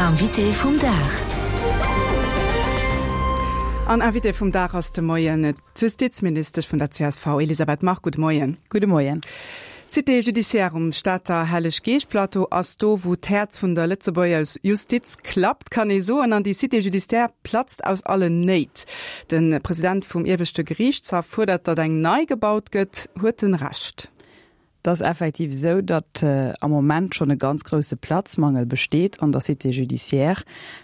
Invité vum Dag. An Invité vum Dag ass de Moien d'Justizministesch vun der csv, Elisabeth Margue. Gudde Moien. Gudde Moien. D'Cité judiciaire um Stater Helleg-Geescht-Plateau ass do, wou d'Häerz vun der Lëtzebuerger Justiz klappt, kann ee soen. An déi Cité judiciaire platzt aus allen Néit. De President vum Ieweschte Geriichtshaff fuerdert, datt eng nei gebaut gëtt. Huet en Recht? Et ass effektiv esou, datt am Moment schonn e ganz grousse Platzmangel besteet an der Cité judiciaire.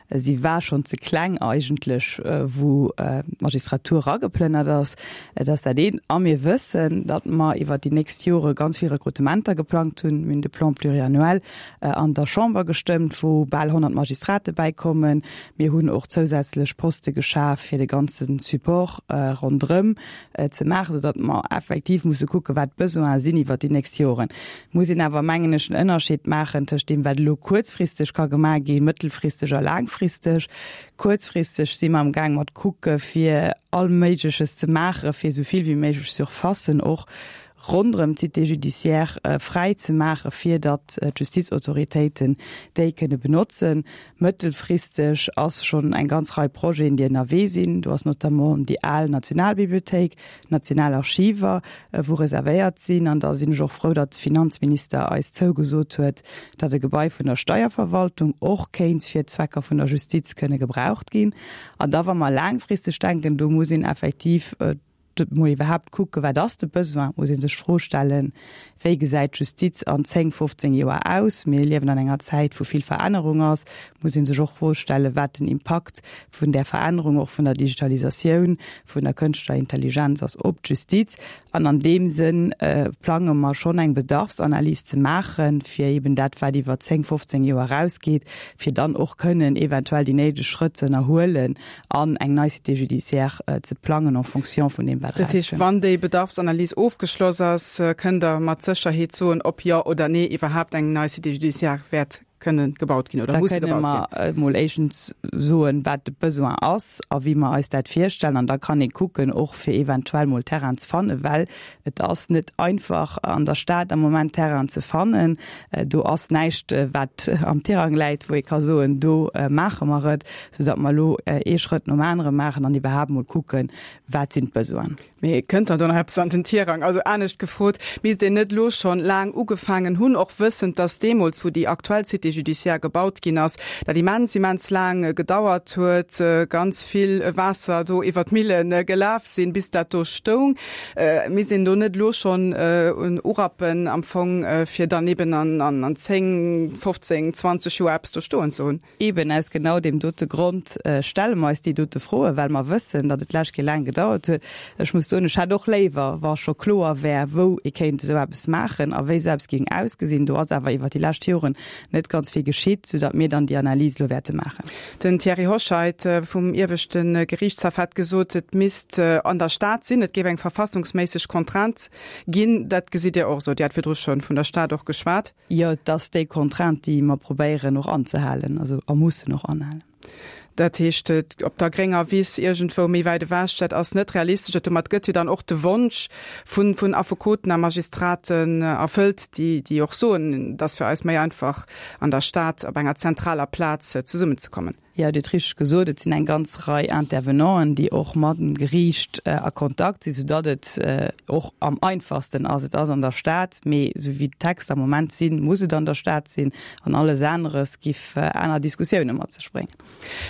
Si war schonn ze kleng eigentlech, wou d'Magistratur erageplënnert ass. Et ass dat eent. A mir wëssen, datt mer iwwert déi nächst Jore ganz vill Rekrutementer geplangt hunn. Mir hunn de Plan pluriannuel an der Chamber gestëmmt, wou bal 100 Magistrate bäikommen. Mir hunn och zousätzlech Poste geschaf fir de ganze Support ronderëm. ze maachen, soudatt mer effektiv musse kucken, wat d'Besoine sinn iwwert déi nächst Joren. Et muss een awer, mengen ech, en Ënnerscheed maachen tëscht deem, wat elo kuerzfristeg ka gemaach ginn, mëttelfristeg a laangfristeg. Kuerzfristeg si mer amgaang mat kucke fir all Méigleches ze maachen, fir esou vill wéi méiglech Surfacen och ronderëm d'Cité judiciaire fräi ze maachen, fir datt d'Justizautoritéiten déi kënne benotzen. Mëttelfristeg ass schonn eng ganz Rei Projeten, déi ënnerwee sinn. Do ass notamment déi al Nationalbibliothéik, d'National Archiver, wou reservéiert sinn. An da sinn ech och frou, datt de Finanzminister eis zougesot huet, datt e Gebai vun der Steierverwaltung och kéint fir d'Zwecker vun der Justiz kënne gebraucht ginn. An da wa mer laangfristeg denken, do muss een effektiv, mol iwwerhaapt kucken, wat ass de Besoin, muss ee sech d'Fro stellen, wéi gesäit d'Justiz an 10, 15 Joer aus? Mir liewen an enger Zäit, wou vill Verännerung ass, muss ee sech och d'Fro stellen, wat den Impakt vun där Verännerung, och vun der Digitalisatioun, vun der kënschtlecher Intelligenz ass op d'Justiz. An an deem Sënn plange mer schonn eng Bedarfsanalys ze maachen, fir eben dat, wat iwwer 10, 15 Joer erausgeet, fir dann och kënnen eventuell déi néideg Schrëtt ze ënnerhuelen, an eng nei Cité judiciaire ze plangen en fonction vun deem, wat Dat heescht, erauskënnt. wann déi Bedarfsanalys ofgeschloss ass, kënnt Der mat Sécherheet soen, ob jo oder nee iwwerhaapt eng nei Cité judiciaire wäert kënne gebaut ginn oder Da muss kënne gebaut mer ginn. emol éischtens soen, wat de Besoin ass a wéi mer eis dat virstellen. An da kann ee kucken, och fir eventuell mol Terrain ze fannen, well Et ass net einfach an der Stad am Moment Terrainen ze fannen. Do ass näischt, wat am Tirang läit, wou ee ka soen, do maache mer et, soudatt mer elo ee Schrëtt nom anere maachen an iwwerhaapt mol kucken, wat sinn d'Besoinen. Mee kënnt dann do nach eppes an den Tirang? Also anescht gefrot, misst een net elo schonn laang ugefaangen hunn, och wëssend, datt deemools, wou déi aktuell Cité judiciaire gebaut ginn ass, dat immens, immens laang gedauert huet, ganz vill Waasser do iwwer d'Mille gelaf sinn, bis dat do stoung? Misst een do net elo schonn urappen am Fong, fir dann eben an 10, 15, 20 Joer eppes do stoen ze hunn? Eben aus genau deem dote Grond stelle mer eis déi dote Froen, well mer wëssen, datt et d'lescht Kéier laang gedauert huet. Ech muss soen, ech hätt och léiwer, wa scho kloer wär, wou ee kéint esou eppes maachen a wéi esou eppes géing ausgesinn. Do ass awer iwwert déi lescht Joren net ganz vill geschitt, soudatt mir dann déi Analys elo wäerte maachen. Den Thierry Hoscheit vum ieweschte Geriichtshaff hat gesot, et misst an der Stad sinn, et géif eng verfassungsméisseg Contrainte ginn. Dat gesitt Dir och esou? Dir hat virdru scho vun der Stad och geschwat. Jo, et ass déi Contrainte, déi mer probéieren och anzehalen, also a mussen och anhalen. Dat heescht, op der grénger Wiss iergendwou méi wäit ewech, dat ass net realistesch. Dat domat gëtt jo dann och de Wonsch vun vun Affekoten a Magistraten erfëllt, déi déi och soen, et ass fir eis méi einfach, an der Stad op enger zentraler Plaz zesummenzekommen. Jo, Dir hutt richteg gesot, et sinn eng ganz Rei Intervenanten, déi och mat dem Geriicht a Kontakt sinn, soudatt et och am einfachsten ass, et ass an der Stad. Mee esou wéi d'Texter am Moment sinn, muss et an der Stad sinn an alles aneres giff aner Diskussioune mat sech bréngen.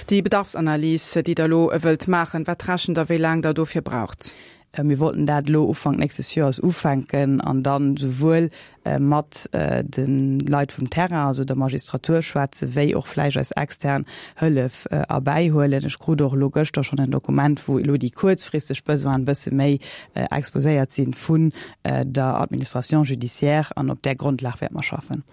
Déi Bedarfsanalys, déi Der elo wëllt maachen, wat rechent Der, wéi laang Der dofir braucht? Mir wollten dat elo Ufank nächstes Joers ufänken an dann souwuel mat de Leit vum Terrain, also der Magistratur schwätzen, wéi och vläicht eis extern Hëllef erbäihuelen. Ech krut och elo gëschter schonn en Dokument, wou elo déi kuerzfristeg Besoinen e bësse méi exposéiert sinn vun der Administration judiciaire an op där Grondlag wäerte mer schaffen.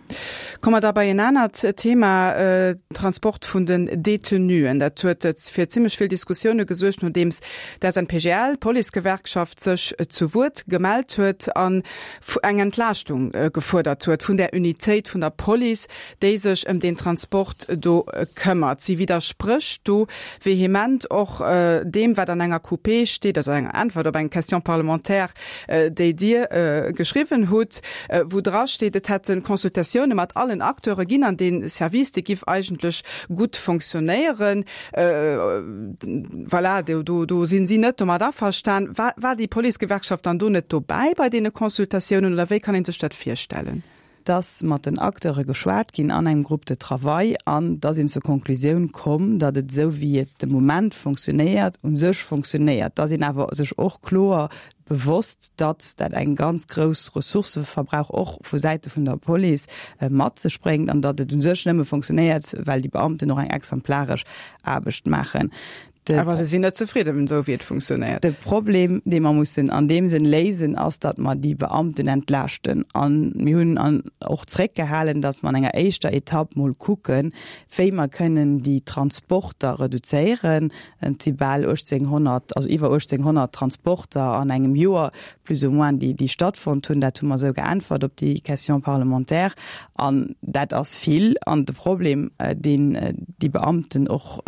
Komme mer da bei en anert Thema, Transport vun den Detenuen. Dat huet fir zimmlech vill Diskussioune gesuergt, nodeems d'SNPGL, d'Policegewerkschaft, sech zu Wuert gemellt huet an eng Entlaaschtung. gefuerdert huet, vun där Unitéit vun der Police, déi sech ëm deen Transport do këmmert. Si widdersprécht do vehement och deem, wat an enger QP steet, also enger Äntwert op eng Question parlementaire, déi Dir geschriwwen hutt, wou drasteet, et hätte Consultatioune mat allen Acteure ginn an dee Service, dee giff eigentlech gutt fonctionnéieren. Voilà, do, do sinn si net domat averstan. War, war déi Policegewerkschaft dann do net dobäi bei deene Consultatiounen oder wéi kann ee sech dat virstellen? dass mat den Acteure geschwat ginn an engem Groupe de travail an da sinn zur Konklusioun komm, datt et esou wéi et de Moment fonctionnéiert, u sech fonctionnéiert. Da sinn awer sech och kloer bewosst, datt dat eng ganz grouss Ressourcëverbrauch och vu Säite vun der Police mat sech bréngt an datt et u sech nëmme fonctionnéiert, well déi Beamten och eng exemplaresch Aarbecht maachen. De Awer se sinn net zefridden, esou wéi et funktionéiert. De Problem, dee mer mussen an deem Sënn léisen, ass, datt mer déi Beamten entlaaschten. A mir hunn an och zréckgehalen, datt mer an enger éischter Etapp mol kucken, wéi mer kënnen déi Transporter reduzéieren. Et si bal 1.800, also iwwer 1.800 Transporter an engem Joer plus ou moins, déi, déi stattfonnt hunn. Dat hu mer esou geäntwert op déi Question parlementaire. An dat ass vill. An de Problem, deen déi Beamten och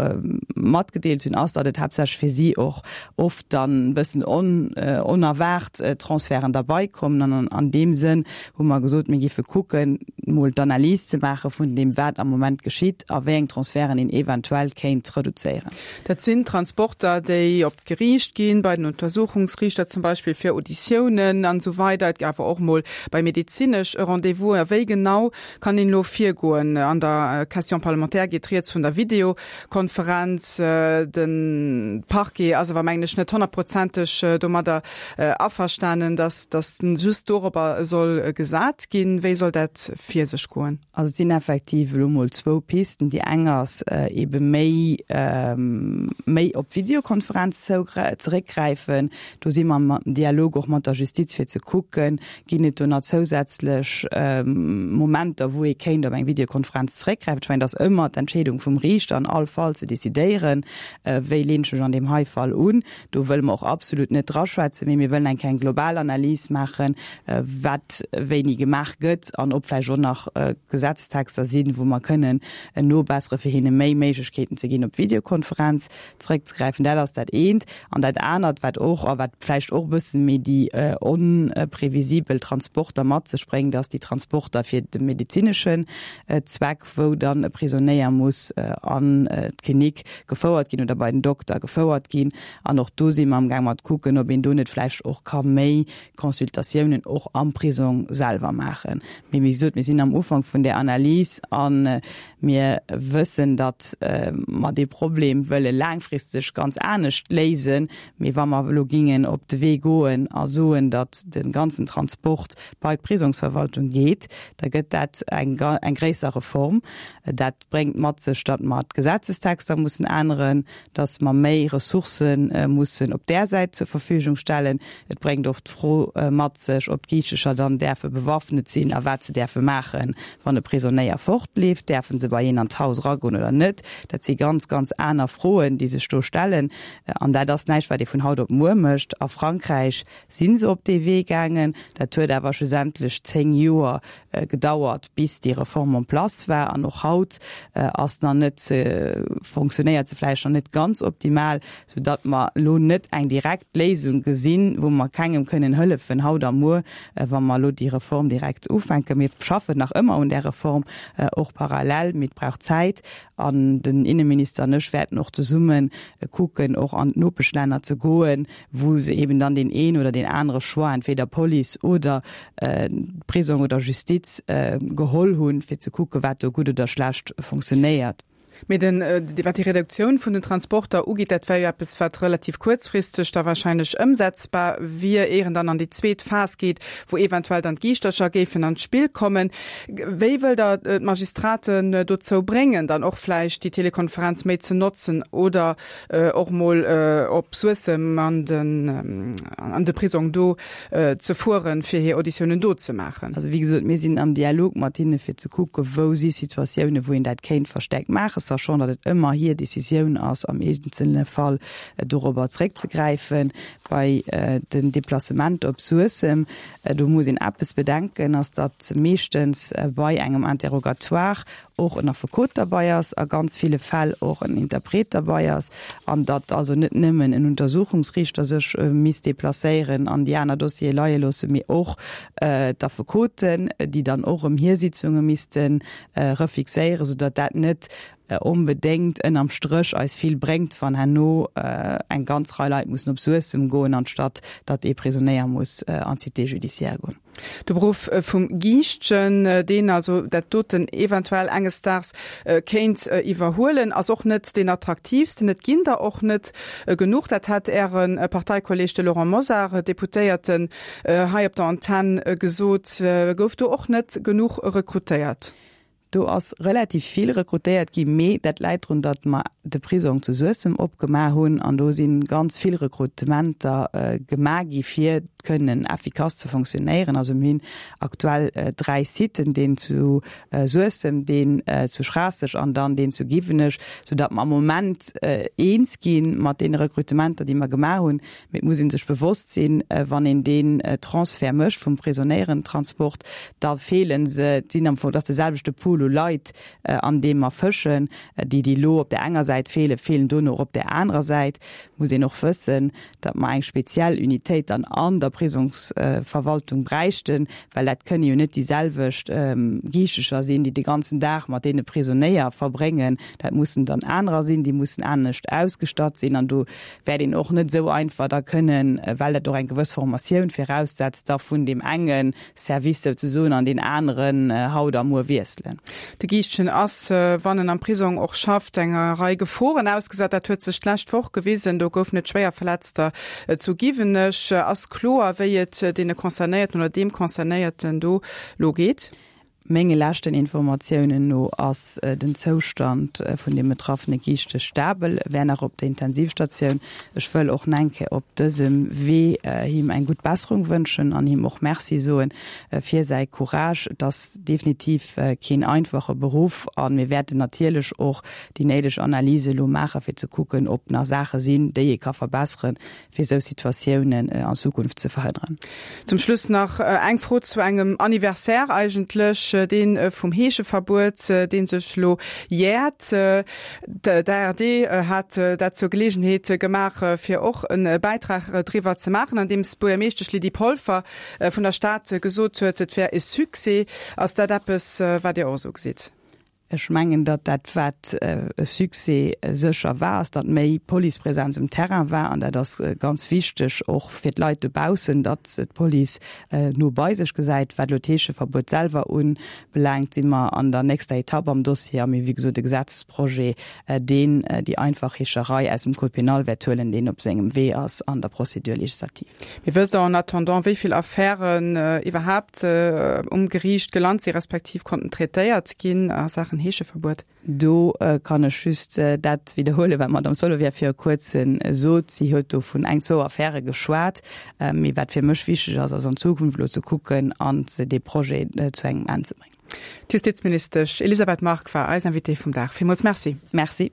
matgedeelt hunn, ass, datt et haaptsächlech fir si och oft dann e bëssen onerwaart Transferten derbeikommen. An an deem Sënn hu mer gesot, mir géife kucken, mol d'Analys ze maache vun deem, wat am Moment geschitt a wéi eng Transferten een eventuell kéint reduzéieren. Dat sinn Transporter, déi op d'Geriicht ginn, bei den Untersuchungsriichter zum Beispill fir Auditiounen an esou weider, et awer och mol bei medezinesch Rendez-vousen. A wéi genau kann een elo virgoen? An der Question parlementaire geet rieds vun der Videokonferenz. De Parquet ass awer, mengen ech, net honnertprozenteg domadder averstanen, dass just dorobber soll gesat ginn. Wéi soll dat vir sech goen? Also et sinn effektiv elo mol zwou Pisten. Déi eng ass eebe méi méi op d'Videokonferenz zeréckgräifen. Do si mer am Dialog och mat der Justiz fir ze kucken, ginn et do nach zousätzlech Momenter, wou ee kéint op eng Videokonferenz zeréckgräifen. Ech mengen, et ass ëmmer d'Entscheedung vum Riichter an all Fall ze decidéieren, wéi leen ech mech an deem hei Fall un. Do wëlle mer och absolut net draschwätzen, mee mir wëllen eng kleng global Analys maachen, wat wéini gemaach gëtt an ob vläicht och nach Gesetztexter sinn, wou mer kënnen nobessere fir hinne méi Méiglechkeeten ze ginn, op d'Videokonferenz zeréckzegräifen. Dat ass dat eent. An dat anert, wat och, a wat vläicht och e bësse méi déi onprevisibel Transporter mat sech bréngt, ass déi Transporter fir de medezineschen Zweck, wou dann e Prisonéier muss an d'Klinik gefouert ginn oder bei den Dokter gefouert ginn. An och do si mer amgaang mat kucken, ob een do net vläicht och ka méi Consultatiounen och am Prisong selwer maachen. Mee wéi gesot, mir sinn am Ufank vun där Analys a mir wëssen, datt mer dee Problem wëlle laangfristeg ganz anescht léisen. Mee wa mer elo gingen op de Wee goen a soen, datt de ganzen Transport bei d'Prisongsverwaltung geet, da gëtt dat eng eng gréisser Reform. Dat bréngt mat sech, datt mer d'Gesetzestexter mussen änneren, datt mer méi Ressourcë mussen op där Säit zur Verfügung stellen. Et bréngt och d'Fro mat sech, ob d'Giichtecher dann däerfe bewaffnet sinn a wat se däerfe maachen, wann e Prisonéier fortleeft. Däerfe se bei een an d'Haus eragoen oder net? Dat si ganz, ganz aner Froen, déi sech do stellen. An dat ass näischt, wat ee vun haut op muer mécht. A Frankräich si se op dee Wee gaangen. Dat huet awer schlussendlech 10 Joer gedauert, bis déi Reform en place war. An och haut ass nach net, fonctionnéiert se vläicht nach net ganz optimal, soudatt mer elo net eng direkt Léisung gesinn, wou mer kengem kënnen hëllefen haut a muer, wa mer elo déi Reform direkt ufänken. Mir schaffen nach ëmmer un där Reform, och parallel, mee et brauch Zäit. An den Inneminister an ech wäerten och zesumme kucken, och an d'Nopeschlänner ze goen, wou se eben dann deen een oder deen anere Choix, entweder Police oder Prisong oder Justiz, geholl hunn, fir ze kucken, wat do gutt oder schlecht funktionéiert. Mee den, wat déi Reduktioun vun den Transporter ugeet, dat wär jo eppes, wat relativ kuerzfristeg da wahrscheinlech ëmsetzbar wier, ier en dann an déi zweet Phas geet, wou eventuell dann d'Giischtercher géifen an d'Spill kommen. Wéi wëllt Der d'Magistraten dozou bréngen, dann och vläicht déi Telekonferenz méi ze notzen oder och mol op Suessem an den an de Prisong do ze fueren, fir hir Auditiounen do ze maachen? Also wéi gesot, mir sinn am Dialog mat hinne fir ze kucken, wou si Situatiounen, wou een dat kéint verstärkt maachen. Sachant datt et ëmmer hir Decisioun ass, am eenzelne Fall dorobber zréckzegräifen. Bei den Deplacementer op Suessem, do muss een eppes bedenken, ass datt meeschtens bei engem Interrogatoire och en Affekot derbei ass, a ganz ville Fäll och en Interpret derbei ass, an datt also net nëmmen en Untersuchungsriichter sech misst deplacéieren an déi aner Dossiere leie loossen, mee och d'Affekoten, déi dann och erëm hir Sitzunge misste refixéieren, soudatt dat net onbedéngt ënnerm Stréch eis vill bréngt, wann herno eng ganz Rei Leit mussen op Suessem goen, anstatt datt ee Prisonéier muss an d'Cité judiciaire goen. De Beruff vum Giischtjen, deen also dat doten eventuell enges Daags kéint iwwerhuelen, ass och net deen attraktiivsten. Et ginn der och net genuch. Dat hat Äre Parteikolleeg, de Laurent Mosar, Deputéierten, hei op der Antenn gesot. Gouf do och net genuch rekrutéiert? Do ass relativ vill rekrutéiert gi, mee dat läit drun, datt mer de Prisong zu Suessem opgemaach hunn an do si ganz vill Rekrutementer gemaach gi fir kënnen effikass ze fonctionnéieren. Also mir hunn aktuell 3 Siten, deen zu Suessem, deen zu Schraasseg an dann deen zu Giwenech, soudatt mer am Moment eens gi mat deene Rekrutementer, déi mer gemaach hunn. Mee et muss ee sech bewosst sinn, wann een deen Transfert mécht vum Prisonéierentransport, da feele se, et sinn am Fong, et ass de selwechte Pool u Leit, an deem mer fëschen. Déi, déi elo op där enger Säit feelen, feelen dono och op där anerer Säit. Et muss een och wëssen, datt mer eng speziell Unitéit dann an der Prisongsverwaltung bräichten, well dat kënne jo net déi selwecht Giichtecher sinn, déi de ganzen Dag mat deene Prisonéier verbréngen. Dat mussen dann anerer sinn, déi mussen anescht ausgestatt sinn. An do wäert een och net esou einfach da kënnen, well dat och eng gewëss Formatioun viraussetzt, da vun deem enge Service souzesoen an deen aneren haut a muer wiesselen. De Giischtjen ass, wann en am Prisong och schafft, enger Rei Geforen ausgesat. Dat huet sech d'lescht Woch gewisen. Do goufen et Schwéierverletzter zu Giwenech. Ass kloer, wéi et deene Concernéierten oder deem Concernéierten do lo geet? Menge leschten Informatiounen no ass den Zoustand vun dem betraffene Giischtech stabel, e wär nach op der Intensivstatioun. Ech wëll och Nenke op dësem Wee him eng gutt Besserung wënschen an him och Merci soen fir säi Courage. Et ass definitiv keen einfache Beruff a mir wäerten natierlech och déi néideg Analyse elo maache fir ze kucken, ob nach Saache sinn, déi ee ka verbesseren, fir esou Situatiounen an Zukunft ze verhënneren. Zum Schluss nach eng Fro zu engem Anniversaire eigentlech, dee vum Heescheverbuet, dee sech elo jäert. D'ARD hat dat zur Geleegenheet gemaach, fir och e Bäitrag driwwer ze maachen, andeems d'Buergermeeschtesch Lydie Polfer vun der Stad gesot huet, et wär e Succès. Ass dat eppes, wat Dir och esou gesitt? Ech mengen, datt dat, wat e Succès sécher war, ass, datt méi Policepresenz um Terrain war. An dat ass ganz wichteg och fir d'Leit dobaussen, datt d'Police no bei sech gesäit. Wat elo d'Heescheverbuet selwer ubelaangt, si mer an der nächster Etapp am Dossier a mir hu wéi gesot e Gesetzesprojet, deen déi einfach Heescherei aus dem Code pénal wäert huelen, deen op sengem Wee ass an der Procédure législative. Mee wësst Der en attendant, wéi vill Affären iwwerhaapt um Geriicht gelant si respektiv konnten traitéiert ginn a Saachen Heescheverbuet? Do kann ech just dat widderhuelen, wat d'Madame Solovieff viru Kuerzem sot. Si huet do vun eng, zwou Affäre geschwat. Mee wat fir mech wichteg ass, ass an Zukunft elo ze kucken an dee Projet zu engem Enn ze bréngen. D'Justizministesch Elisabeth Margue war eis Invitée vum Dag. Villmools Merci. Merci.